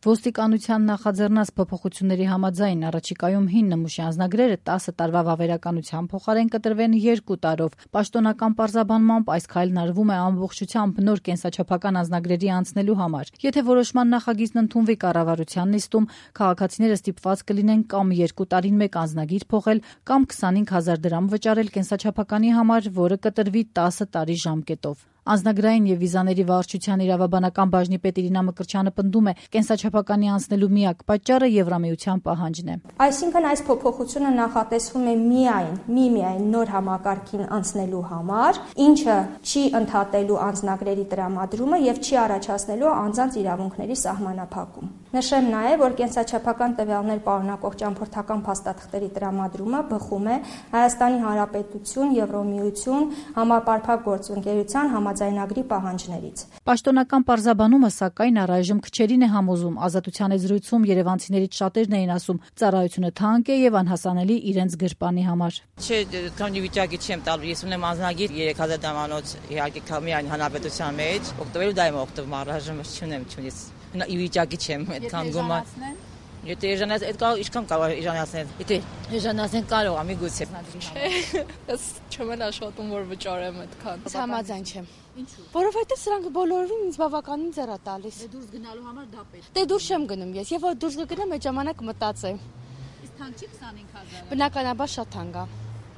Ոստիկանության նախաձեռնած փոփոխությունների համաձայն առաջիկայում 9 նմուշի անձնագրերը 10 տարվա վավերականության փոխարեն կտրվեն 2 տարով։ Պաշտոնական պարզաբանմամբ այս քայլն արվում է ամբողջությամբ նոր կենսաչափական անձնագրերի անցնելու համար։ Եթե որոշման նախագիծն ընդունվի կառավարության նիստում, քաղաքացիները ստիպված կլինեն կամ 2 տարին մեկ անձնագիր փոխել, կամ 25,000 դրամ վճարել կենսաչափականի համար, որը կտրվի 10 տարի ժամկետով։ Անձնագրային եւ վիզաների վարչության իրավաբանական բաժնի պետ Իրինա Մկրտչյանը պնդում է, կենսաչափականի անցնելու միակ պատճառը Եվրամիության պահանջն է։ Այսինքն այս փոփոխությունը նախատեսվում է միայն նոր համակարգին անցնելու համար, ինչը չի ընդհատելու անձնագրերի տրամադրումը եւ չի առաջացնելու անձանց իրավունքների սահմանափակում։ Նշեմ նաեւ, որ կենսաչափական տվյալներ պարունակող ճամփորդական փաստաթղթերի տրամադրումը բխում է Հայաստանի Հանրապետություն, Եվրոմիություն, Համապարփակ գործընկերության համաձայնագրի պահանջներից։ Պաշտոնական պարզաբանումը, սակայն, առայժմ քչերին է համոզում։ Ազատության զրույցում երևանցիներից շատերն էին ասում, ծառայությունը թանկ է եւ անհասանելի իրենց գրպանի համար։ Չէ, քանի վիճակի չեմ տալու, ես ունեմ անձնագիր 3000 դրամանոց, իհարկե միայն հանրապետության մեջ, օգտվելու դա եմ օգտվում, առայժմ չունեմ, ի վիճակի չեմ այդքան գումար։ Եթե էժանացնել, այդ կարող ինչքան կարող էժանացնել։ Եթե էժանացնել կարող եմ, միգուցե։ Չէ, ես չեմ աշխատում, որ վճարեմ այդքան։ Համաձայն չեմ։ Ինչու՞։ Որովհետև սրանք բոլորովին ինձ բավականին ձեռ է տալիս։ Դե դուրս գնալու համար դա պետք է։ Դե դուրս չեմ գնում ես, եւ որ դուրս կգնամ, այդ ժամանակ մտածեմ։ Իսկ թանկ չի 25,000։ Բնականաբար շատ թանկ է։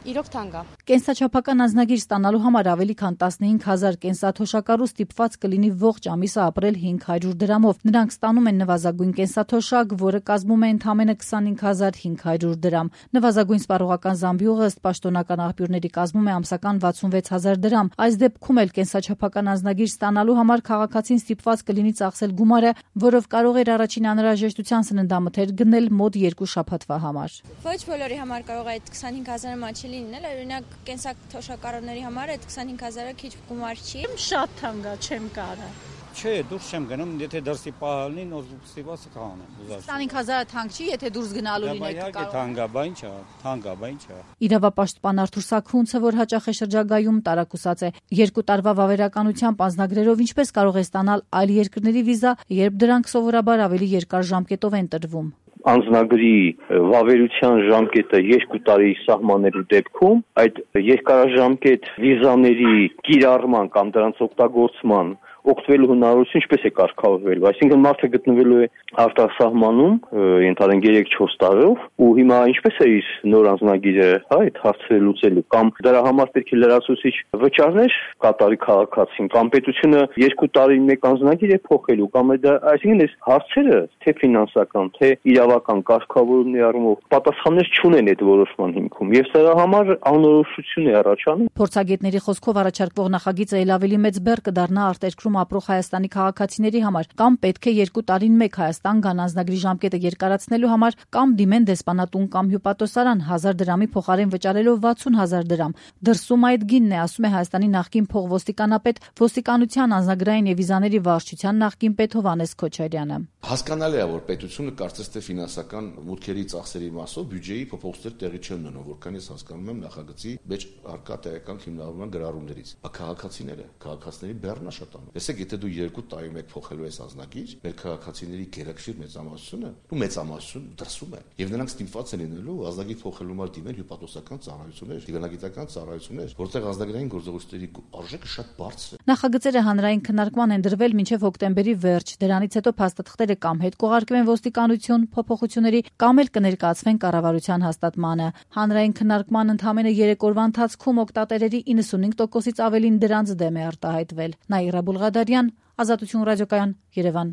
Իրոք թանկ է։ Կենսաչափական անձնագիր ստանալու համար ավելի քան 15,000 կենսաթոշակառու ստիպված կլինի ողջ ամիսը ապրել 500 դրամով։ Նրանք ստանում են նվազագույն կենսաթոշակ, որը կազմում է ընդամենը 25,500 դրամ։ Նվազագույն սպառողական զամբյուղը ըստ պաշտոնական աղբյուրների կազմում է ամսական 66,000 դրամ։ Այս դեպքում էլ կենսաչափական անձնագիր ստանալու համար քաղաքացին ստիպված կլինի ծախսել գումարը, որով կարող էր առաջին անհրաժեշտության սննդամթեր գնել մոտ 2 շաբաթվա համար։ Ոչ բոլորի համար կարող է այդ 25,000-ը մաչի լինել, օրինակ կենսաթոշակառուների համար այդ 25,000-ը քիչ գումար չի։ Շատ թանկ է, չեմ կարող։ Չէ, դուրս չեմ գնում, եթե դրսի պահալնի նոր ստիպված կանեմ։ 25,000-ը թանկ չի, եթե դուրս գնալու լինեք կարող։ Թանկ է, բան չէ։ Իրավապաշտպան Արթուր Սաքունցը, որ հաճախ է շրջագայում, տարակուսած է 2 տարվա վավերականությամբ անձնագրերով ինչպես կարող է ստանալ այլ երկրների վիզա, երբ դրանք սովորաբար ավելի երկար ժամկետով են տրվում։ Անձնագրի վավերության ժամկետը 2 տարի սահմանելու դեպքում այդ երկարաժամկետ վիզաների կիրառման կամ դրանց օգտագործման օգտվելու հնարավորություն ինչպես է կարգավորվելու, այսինքն մարդը գտնվելու է արտասահմանում ընդհանրեն 3-4 տարով ու հիմա ինչպես է իր նոր անձնագիրը այդ հարցը լուծելու կամ դրա համար պետք է լրացուցիչ վճարներ կատարի քաղաքացին կամ պետությունը 2 տարին մեկ անձնագիր է փոխելու կամ դա այսինքն այս հարցերը թե ֆինանսական թե իրավական կարգավորումների առումով պատասխաններ չունեն այդ որոշման հիմքում եւ սրա համար անորոշություն է առաջանում։ Փորձագետների խոսքով առաջարկվող նախագիծը ել ավելի մեծ բեռ կդառնա արտերկրում ապրող Հայաստանի քաղաքացիների համար, կամ պետք է 2 տարին մեկ Հայաստան գան անձնագրի ժամկետը երկարացնելու համար, կամ դիմեն դեսպանատուն կամ հյուպատոսարան 1000 դրամի փոխարեն վճարելով 60,000 դրամ։ Դրսում այդ գինն է, ասում է Հայաստանի նախկին փոխոստիկանապետ, ոստիկանության անձնագրային եւ վիզաների վարչության նախկին պետ Հովհաննես Քոչարյանը։ Հասկանալի է, որ պետությունը կարծես թե ֆինանսական մուտքերի ծախսերի մասով բյուջեի փոփոխություններ տեղի չեն ունենում, որքան ես հասկանում եմ նախագծի մեջ արկա տեղական հիմնավորման գրառումներից։ Քաղաքացիների բեռնն է շատանում։ Տեսեք, եթե դու 2 տարի մեկ փոխելու ես անձնագիր, մեր քաղաքացիների գերակշիռ մեծամասնությունը դրսում է, եւ նրանք ստիպված են լինելու անձնագիր փոխելու համար դիմել հյուպատոսական ծառայություններ, դիվանագիտական ծառայություններ, որտեղ անձնագրային գործողությունների արժեքը շատ բարձր է։ Նախագծերը հանրային քննարկման են դրվել մինչև հոկտեմբերի վերջ։ Դրանից հետո փաստաթղթերը կամ հետ կուղարկվեն ոստիկանություն փոփոխությունների, կամ էլ կներկայացվեն կառավարության հաստատմանը։ Հանրային քննարկման ընդամենը 3 օրվա ընթացքում օգտատերերի 95%-ից ավելին դրանց դեմ է արտահայտվել։ Նաիրա Բուլղադարյան, Ազատություն ռադիոկայան, Երևան։